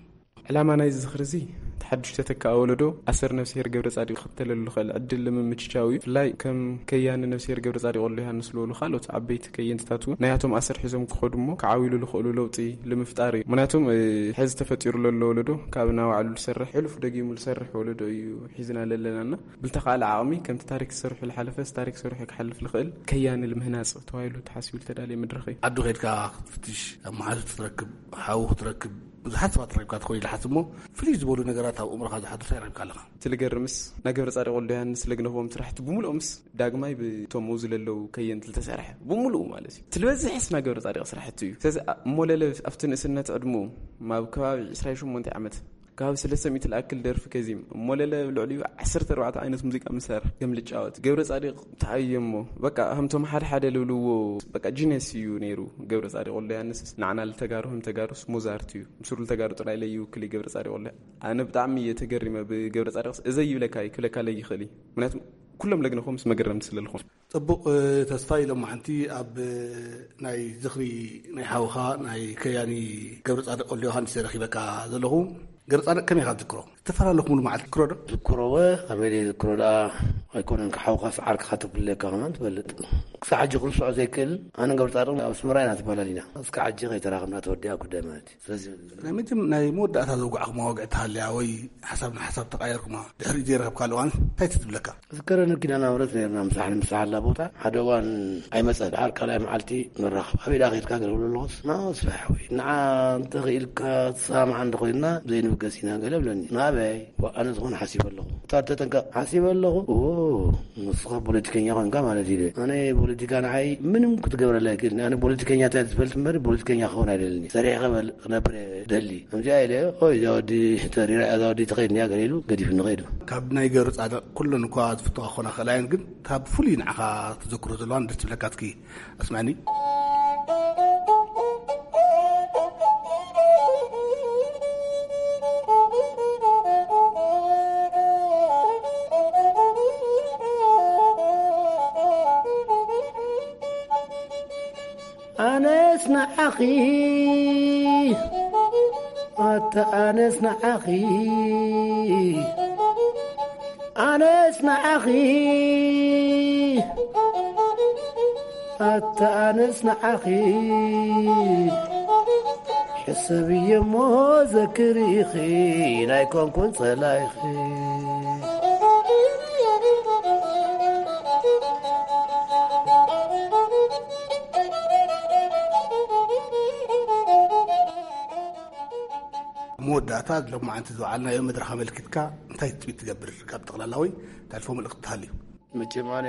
ዕላማ ናይዚ ዝኽሪ እዚ፣ እቲ ሓድሽ ተተካኣ ወለዶ ኣሰር ነፍስሄር ገብረጻድቕ ክኽተለሉ ዝኽእል ዕድል ንምምችቻው እዩ። ብፍላይ ከም ከያኒ ነፍስሄር ገብረጻድቕ ወልደዮሃንስ ዝበሉ ካልኦት ዓበይቲ ከየንትታት እውን ናያቶም ኣሰር ሒዞም ክኸዱ እሞ ክዓብይሉ ዝኽእሉ ለውጢ ንምፍጣር እዩ። ምኽንያቱም፣ እ፣ ሕዚ ተፈጢሩ ዘሎ ወለዶ ካብ ናባዕሉ ዝሰርሕ፣ ሕሉፍ ደጊሙ ዝሰርሕ ወለዶ እዩ ሒዝና ዘለናና። ብልተኻእለ ዓቕሚ ከምቲ ታሪክ ዝሰርሑ ዝሓለፈስ ታሪክ ሰሪሑ ክሓልፍ ዝኽእል ከያኒ ልምህናጽ ተባሂሉ ተሓሲቡ ዝተዳለየ መድረኽ እዩ። ዓዱ ኸይድካ ክትፍትሽ፣ ኣብ መሓዙት ክትረክብ፣ ሓው ክትረክብ፣ ብዙሓት ሰባት ረኺብካ ትኾን ኢለ ሓስብ እሞ፣ ፍልይ ዝበሉ ነገራት ኣብ ኣእምሮኻ ዝሓድሩ እንታይ ረኺብካ ኣለኻ? እቲ ልገርምስ፣ ናይ ገብረ ጻድቕ ወልደዮሃንስ ለግነኽዎም ስራሕቲ ብምልኦምስ ዳግማይ ብቶም ኣብዚ ለለዉ ከየንቲ ዝተሰርሐ ብምልኡ ማለት እዩ። እቲ ልበዝሕስ ናይ ገብረ ጻድቕ ስራሕቲ እዩ። ስለዚ ኣ-፣ እሞ ለለ ኣብቲ ንእስነት ዕድሙ፣ ኣብ ከባቢ ዕስራን ሸሞንተን ዓመት፣ ካብ ሰለስተ ሚእቲ ዝኣክል ደርፊ ከዚም፣ እሞ ለለ ልዕሊኡ ዓሰርተ ኣርባዕተ ዓይነት ሙዚቃ መሳርሒ ከም ልጫወት ገብረ ጻድቕ ተኣዮ እሞ፣ በቃ፣ ከምቶም ሓደ ሓደ ልብልዎ፣ በቃ፣ ጂነስ እዩ ነይሩ ገብረ ጻድቕ ወልደ ዮሃንስስ። ንዓና ልተጋሩ ከም ተጋሩስ ሞዛርት እዩ። ምስሩ ልተጋሩ ጥራይ ለይውክል እዩ ገብረ ጻድቕ ወልደ። ኣነ ብጣዕሚ እየ ተገሪመ ብገብረ ጻድቕስ። እዘይ ይብለካ እዩ፣ ክብለካ ለይኽእል እዩ። ምክንያቱም ኩሎም ለግነኹም ምስ መገረምቲ ስለ ዝኾኑ። ጽቡቕ፣ እ፣ ተስፋይ፣ ሎማዓንቲ ኣብ፣ እ፣ ናይ ዝኽሪ ናይ ሓውኻ ናይ ከያኒ ገብረ ጻድቕ ወልደ ዮሃንስ እየ ረኺበካ ዘለኹ። ገብረ ጻድቕ ከመይ ኢኻ ትዝክሮ? እተፈላለኹምሉ መዓልቲ ትዝክሮ ዶ? ዝክሮ ወ፣ ከመይ ደይ ዝክሮ ደኣ ኣይኮነን፣ ካብ ሓውኻስ ዓርክኻ ተፍልለካ ከማን ትፈልጥ። ክሳዕ ሕጂ ክርስዖ ዘይክእል፣ ኣነን ገብረ ጻድቕን ኣብ ኣስመራ ኢና ተፈላሊና። እስካዕ ሕጂ ከይተራኸብና ተወዲኣ ጉዳይ ማለት እዩ። ስለዚ ናይ መጀም-፣ ናይ መወዳእታ ዘውጋዕኹም መዋግዒ ተሃልያ ወይ ሓሳብ ንሓሳብ ተቓየርኩማ፣ ድሕሪኡ ዘይረኸብካሉ እዋን እንታይ ትዝብለካ? ዝከረኒ ኪዳነ ምሕረት ነርና ምሳሕ ንምሳሕ ኣላ ቦታ። ሓደ እዋን ኣይመጸን። ደሓር ካልኣይ መዓልቲ ንራኸብ። ኣበይ ደኣ ኸይድካ? ገለ ክብሎ ኣለኹስ፣ ና፣ ስራሕ ወይ ንዓ እንተ ኽኢልካ ትሰማማዕ እንተ ኾይንና ዘይንብገስ ኢና ገለ ብለኒ። ናበይ? ዋ፣ ኣነ ዝኾነ ሓሲበ ኣለኹ። እታ ተጠንቀቕ። ሓሲበ ኣለኹ? ኦ፣ ንስኻ ፖለቲከኛ ኾንካ ማለት እዩ። ኣነ ፖለቲካ ንዓይ ምንም ክትገብረለይ ኣይክእልን። ኣነ ፖለቲከኛ እንታይ ዝፈልጥ እምበር ፖለቲከኛ ክኸውን ኣይደልን። ሰሪሐ ክበል-፣ ክነብር እየ ደሊ። ከምዚኣ ኢለ፣ ኦይ፣ እዛ ወዲ ተሪራ፣ እዛ ወዲ ትኸይድ እንድያ ገለ ኢሉ ገዲፉኒ ኸይዱ። ካብ ናይ ገብረ ጻድቕ ኩለን እኳ ዝፍትዋ ክኾና ክኽእላ እየን፣ ግን እታ ብፍሉይ ንዓኻ ትዘክሮ ዘለዋን ደስ ትብለካ እስኪ ኣስምዐኒ። ኣነስ ንዓኺ፣ ኣታ ኣነስ ንዓኺ፣ ኣነስ ንዓኺ፣ ኣታ ኣነስ ንዓኺ፣ ሕሰብዮ እሞ ዘክር ኢኺ፣ ናይ ኮንኩን ጸላኢኺ። መወዳእታ፣ ሎማዓንቲ ዝወዓልናዮ መድረኽ ኣመልኪትካ እንታይ ትጽቢት ትገብር? ካብ ጠቕላላ ወይ ተሕልፎ መልእኽቲ ተሃልዩ? መቸም ኣነ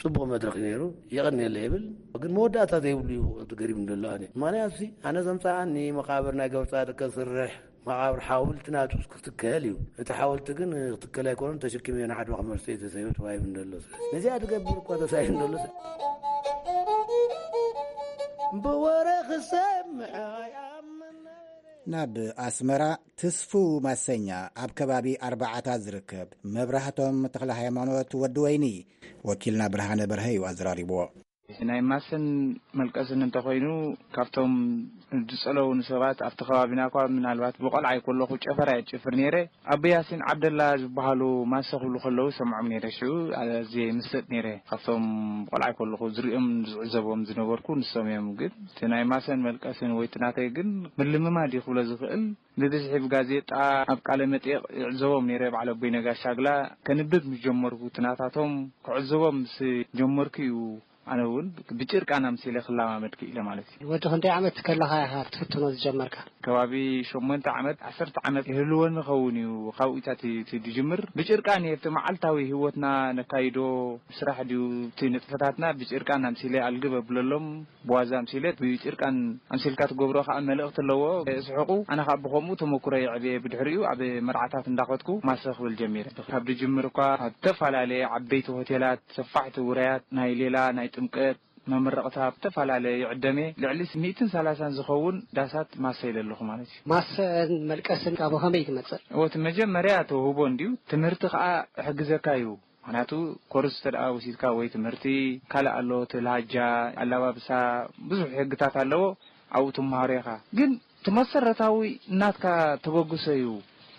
ጽቡቕ መድረኽ እዩ ነይሩ፣ የቐንየለይ ይብል። ግን መወዳእታ ዘይብሉ እዩ ተገሪሙ ዘሎ ኣነ። ማንያትሲ ኣነ ዘምጽኣኒ መቓብር ናይ ገብረጻድቅ ከስርሕ፣ መቓብር ሓወልቲ ናቱ ክትከል እዩ። እቲ ሓወልቲ ግን ክትከል ኣይኮነን፣ ተሸኪመዮ ንዓድዋ ክመልሶ እዩ ተሳሂሉ ተባሂሉ ዘሎ። ስለዚ ነዚኣ ትገብር እኳ ተሳሂሉ ዘሎ ሰብ። ብወረ ክሰምዕ ኣይኣምን። ናብ ኣስመራ ትስፉው ማሰኛ ኣብ ከባቢ ኣርባዓታት ዝርከብ መብራህቶም ተኽለ ሃይማኖት ወዲ ወይኒ ወኪልና ብርሃነ በርሀ እዩ ኣዘራሪብዎ። ናይ ማሰን መልቀስን እንተኾይኑ፣ ካብቶም ዝጸለዉ ንሰባት ኣብቲ ከባቢና እኳ ምናልባት ብቆልዓ ይኮለኹ ጨፈራ እየ ዝጭፍር ነይረ። ኣቦ ያሲን ዓብደላ ዝበሃሉ ማሰ ክብሉ ከለዉ ሰምዖም ነይረ። ሽዑ ኣዝየ ይምሰጥ ነይረ። ካብቶም ቆልዓ ከለኹ ዝሪኦም ዝዕዘቦም ዝነበርኩ ንሶም እዮም። ግን እቲ ናይ ማሰን መልቀስን ወይ እቲ ናተይ ግን ምልምማድ እዩ ክብሎ ዝኽእል። ብብዝሒ ብጋዜጣ ኣብ ቃለ መጠይቕ ይዕዘቦም ነይረ። በዓል ኣቦይ ነጋሽ ሻግላ ከንብብ ምስ ጀመርኩ እቲ ናታቶም ክዕዘቦም ምስ ጀመርኩ እዩ ኣነ እውን ብጭርቃን ኣምሲለ ክለማመድ ክኢለ ማለት እዩ። ወዲ ክንደይ ዓመት ከለኻ ኢኻ ክትፍትኖ ዝጀመርካ? ከባቢ ሸሞንተ ዓመት፣ ዓሰርተ ዓመት ይህልወኒ ኸውን እዩ። ካብኡ ኢታ እቲ፣ እቲ ድጅምር ብጭርቃን እየ። እቲ መዓልታዊ ህይወትና ነካይዶ፣ ስራሕ ድዩ፣ እቲ ንጥፈታትና ብጭርቃን ኣምሲለ ኣልግብ ኣብለሎም። ብዋዛ ኣምሲለ ብጭርቃን ኣምሲልካ ትገብሮ ከዓ መልእኽቲ ኣለዎ። ስሕቁ። ኣነ ከዓ ብኸምኡ ተመኩሮ ይዕብየ። ብድሕሪኡ ኣብ መርዓታት እንዳኸድኩ ማሰ ክብል ጀሚረ። ካብ ድጅምር እኳ ኣብ ዝተፈላለየ ዓበይቲ ሆቴላት፣ ሰፋሕቲ ውራያት፣ ናይ ሌላ፣ ናይ ጥምቀት፣ መመረቕታ፣ ኣብ ዝተፈላለየ ይዕደም እየ። ልዕሊ ሚእትን ሰላሳን ዝኸውን ዳሳት ማሰ ኢለ ኣለኹ ማለት እዩ። ማሰን መልቀስን ካብ ከመይ ትመጽእ? እወ፣ እቲ መጀመርያ ተውህቦ እንድዩ። ትምህርቲ ከኣ ይሕግዘካ እዩ። ምኽንያቱ ኮርስ እንተ ደኣ ወሲድካ ወይ ትምህርቲ ካልእ ኣሎ፣ እቲ ላሃጃ፣ ኣላባብሳ፣ ብዙሕ ሕግታት ኣለዎ፣ ኣብኡ ትመሃሮ ኢኻ። ግን እቲ መሰረታዊ ናትካ ተበግሶ እዩ።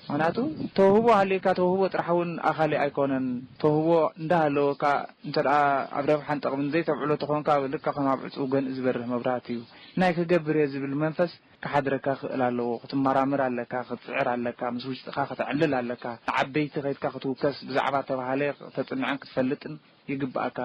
ምኽንያቱ ተውህቦ ሃልዩካ፣ ተውህቦ ጥራሕ እውን ኣኻሊ ኣይኮነን። ተውህቦ እንዳሃለወካ እንተ ደኣ ኣብ ረብሓን ጠቕምን ዘይተውዕሎ ተኾንካ፣ ልክዕ ከም ኣብ ዕጹው ገንኢ ዝበርህ መብራህቲ እዩ። ናይ ክገብር እየ ዝብል መንፈስ ክሓድረካ ክእል ኣለዎ። ክትመራመር ኣለካ፣ ክትጽዕር ኣለካ፣ ምስ ውሽጥኻ ከተዕልል ኣለካ። ንዓበይቲ ከይድካ ክትውከስ ብዛዕባ ተባሃለ ከተጽንዕን ክትፈልጥን ይግብኣካ።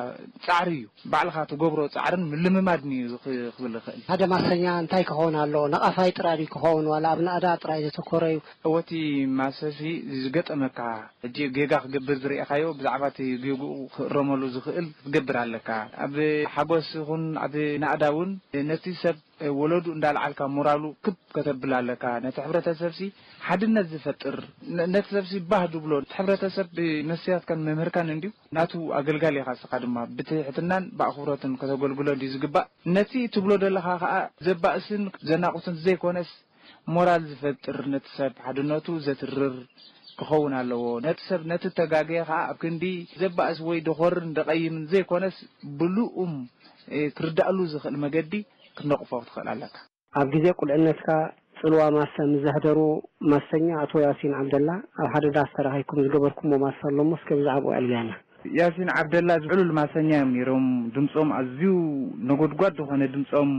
ጻዕሪ እዩ። ባዕልኻ ትገብሮ ጻዕርን ምልምማድን እዩ ዝኽ-፣ ክብል ይኽእል። ሓደ ማሰኛ እንታይ ክኸውን ኣለዎ? ነቓፋይ ጥራይ ድዩ ክኸውን ዋላ ኣብ ናእዳ ጥራይ ዘተኮረ እዩ? እወ እቲ ማሰሲ ዝገጠመካ ሕጂ ጌጋ ክገብር ዝርኤኻዮ ብዛዕባ እቲ ጌግኡ ክእረመሉ ዝኽእል ክትገብር ኣለካ። ኣብ ሓጎስ ይኹን ኣብ ናእዳ እውን ነቲ ሰብ ወለዱ እንዳልዓልካ ሞራሉ ክብ ከተብል ኣለካ። ነቲ ሕብረተሰብሲ ሓድነት ዝፈጥር፣ ነ-፣ ነቲ ሰብሲ ባህ ድብሎ፣ እቲ ሕብረተሰብ መስትያትካን መምህርካን እንድዩ፣ ናቱ ኣገልጋሊ ኢኻ። ንስኻ ድማ ብትሕትናን ብኣኽብሮትን ከተገልግሎ እንድዩ ዝግባእ። ነቲ ትብሎ ዘለኻ ኸኣ ዘባእስን ዘናቑትን ዘይኮነስ፣ ሞራል ዝፈጥር፣ ነቲ ሰብ ሓድነቱ ዘትርር ክኸውን ኣለዎ። ነቲ ሰብ፣ ነቲ እተጋገየ ኸኣ ኣብ ክንዲ ዘባእስ ወይ ደኾርን ደቐይምን ዘይኮነስ፣ ብልኡም፣ እ፣ ክርዳእሉ ዝኽእል መገዲ ክትነቕፎ ክትኽእል ኣለካ። ኣብ ግዜ ቁልዕነትካ ጽልዋ ማሰ ምስ ዘሕደሩ ማሰኛ ኣቶ ያሲን ዓብደላ ኣብ ሓደ ዳስ ተራኺብኩም ዝገበርኩሞ ማሰ ኣሎ እሞ እስከ ብዛዕባኡ ኣዕልለና። ያሲን ዓብደላ ዕሉል ማሰኛ እዮም ነይሮም። ድምጾም ኣዝዩ ነጎድጓድ ዝኾነ ድምጾም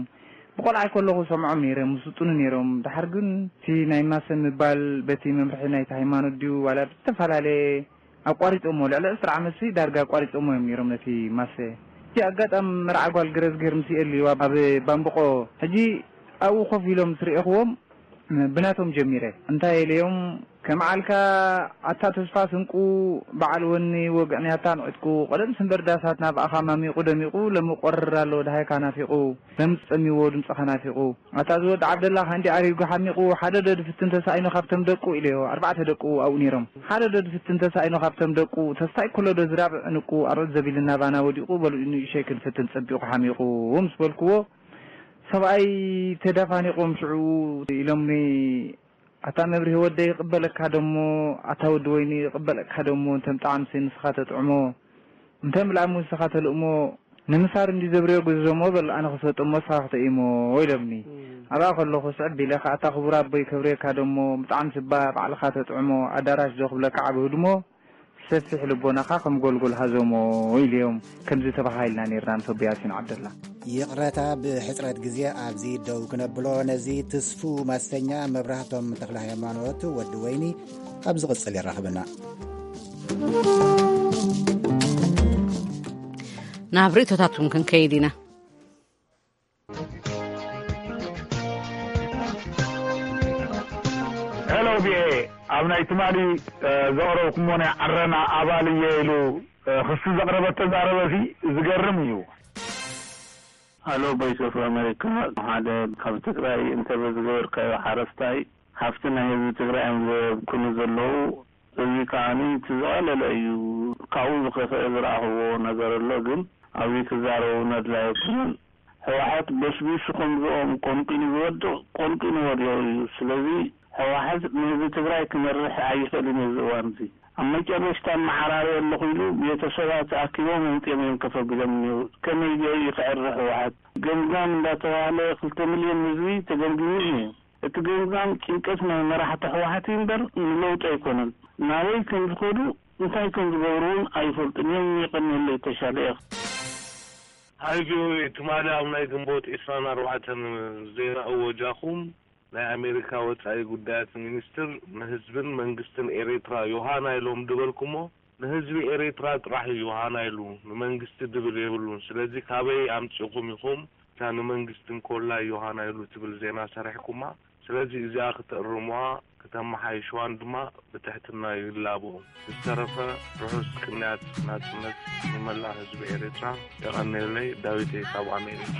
ብቆልዓይ ከለኹ ሰምዖም ነይረ፣ ምስጡኑ ነይሮም። ድሓር ግን እቲ ናይ ማሰ ምባል በቲ መምርሒ ናይቲ ሃይማኖት ድዩ ዋላ ብዝተፈላለየ ኣቋሪጾሞ፣ ልዕሊ ዕስራ ዓመትሲ ዳርጋ ኣቋሪጾሞ እዮም ነይሮም ነቲ ማሰ። እቲ ኣጋጣሚ መርዓ ጓል ገረዝጊሄር ምስ የእልይዋ ኣብ ባምብቆ፣ ሕጂ ኣብኡ ኮፍ ኢሎም ምስ ርኤኽዎም ብናቶም ጀሚረ። እንታይ ኢለዮም፣ ከም ዓልካ ኣታ ተስፋ ስንቁ በዓል ወኒ ወግዕንያታን ዕጥቁ፣ ቀደምሲ እምበር ዳሳትና ብኣኻ ማሚቑ ደሚቑ፣ ለሚ ቆርር ኣሎ ደሃይካ ናፊቑ፣ ለምጽ ጸሚዎ ድምጽኻ ናፊቑ። ኣታ እዚ ወዲ ዓብደላ ካንዲ ኣሪጉ ሓሚቑ፣ ሓደ ዶ ድፍትን ተሳኢኑ ካብቶም ደቁ ኢለዮ፣ ኣርባዕተ ደቁ ኣብኡ ነይሮም። ሓደ ዶ ድፍትን ተሳኢኑ ካብቶም ደቁ፣ ተስታይ ኩሎ ዶ ዝራብዕ ዕንቁ፣ ኣርዑት ዘቢልና ባና ወዲቑ፣ በሉ ንእሸይ ክንፍትን ጸቢቑ ሓሚቑ ምስ በልክዎ፣ ሰብኣይ ተዳፋኒቖም ሽዑ ኢሎምኒ፣ ኣታ መብርሂ ወደይ ይቕበለካ ደሞ፣ ኣታ ወዲ ወይኒ ይቕበለካ ደሞ፣ እንተ ምጣዕምሲ ንስኻ ተጥዕሞ፣ እንተ ምላእሙ ንስኻ ተልእሞ፣ ንምሳር እንዲ ዘብርዮ ግዘዞሞ በል ኣነ ክሰጥሞ ንስኻ ክተኢሞ ኢሎምኒ። ኣብኣ ከለኹ ስዕብ ኢለ ከኣ ኣታ ክቡር ኣቦይ ከብርየካ ደሞ፣ ምጣዕምሲ እባ ባዕልኻ ተጥዕሞ፣ ኣዳራሽ ዶ ክብለካ ዓቢ ህድሞ፣ ሰፊሕ ልቦናኻ ከም ጎልጎል ሃዞሞ ኢለዮም። ከምዚ ተበሃሂልና ኔርና ምስ ኣቦ ያሲን ዓብደላ። ይቕረታ ብሕጽረት ግዜ ኣብዚ ደው ክነብሎ፣ ነዚ ትስፉው ማሰኛ መብራህቶም ተኽለሃይማኖት ወዲ ወይኒ ኣብ ዝቕጽል የራኽበና። ናብ ርእቶታትኩም ክንከይድ ኢና። ሄሎ ቪኦኤ፣ ኣብ ናይ ትማሊ ዘቕረብኩሞ ናይ ዓረና ኣባል እየ ኢሉ ክሲ ዘቕረበ ተዛረበሲ ዝገርም እዩ። ሃሎ ቮይስ ኦፍ ኣሜሪካ፣ ሓደ ካብ ትግራይ እንተበ ዝገበርካዮ ሓረስታይ፣ ሃፍቲ ናይ ህዝቢ ትግራይ እዮም ዘብክኑ ዘለዉ። እዚ ከዓኒ እቲ ዝቐለለ እዩ። ካብኡ ዝኸፍአ ዝረኣኽዎ ነገር ኣሎ፣ ግን ኣብዚ ክዛረቡ ነድላይ ኣይኮነን። ህወሓት በስቢሱ ከምዝኦም ቆንጢኑ ዝወድቕ ቆንጢኑ ወዲቑ እዩ። ስለዚ ህወሓት ንህዝቢ ትግራይ ክመርሕ ኣይኽእልን እዩ እዚ እዋን እዚ። ኣብ መጨረሽታ እመዓራረየ ኣለኹ ኢሉ ቤተሰባት ኣኪቦም ኣምፂኦም እዮም ከፍ ኣቢሎም እኒሀው። ከመይ ገይሩ እዩ ክዕሪ ህወሓት? ገምጋም እንዳተባህለ ክልተ ሚልዮን ህዝቢ ተገምጊሙ እዩ። እቲ ገምጋም ጭንቀት ናይ መራሕቲ ህወሓት እዩ እምበር ንለውጢ ኣይኮነን። ናበይ ከም ዝኸዱ እንታይ ከም ዝገብሩ እውን ኣይፈልጡን እዮም። የቐንየለይ ተሻለ እየ። ሃይ ቪኦኤ፣ ትማሊ ኣብ ናይ ግንቦት ዒስራን ኣርባዕተን ዜና እወጃኹም፣ ናይ ኣሜሪካ ወጻኢ ጉዳያት ሚኒስትር ንህዝብን መንግስትን ኤሬትራ ዮሃና ኢሎም ድበልኩሞ፣ ንህዝቢ ኤርትራ ጥራሕ እዩ ዮሃና ኢሉ፣ ንመንግስቲ ድብል የብሉን። ስለዚ ካበይ ኣምጺእኩም ኢኹም እታ ንመንግስቲ እንኮላ ዮሃና ኢሉ ትብል ዜና ሰሪሕኩማ? ስለዚ እዚኣ ክትእርሙዋ፣ ክተመሓይሽዋን ድማ ብትሕትና ይላቦ። ዝተረፈ ርሑስ ቅንያት ናጽነት ንመላእ ህዝቢ ኤርትራ። የቐንየለይ። ዳዊት ካብ ኣሜሪካ።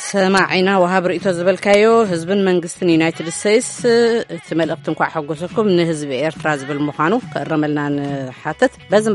ሰማዒና ወሃብ ርእቶ ዝበልካዮ፣ ህዝብን መንግስትን ዩናይትድ ስቴትስ እቲ መልእኽቲ እንኳዕ ሓጎሰኩም ንህዝቢ ኤርትራ ዝብል ምዃኑ ክእረመልና ንሓትት። በዚ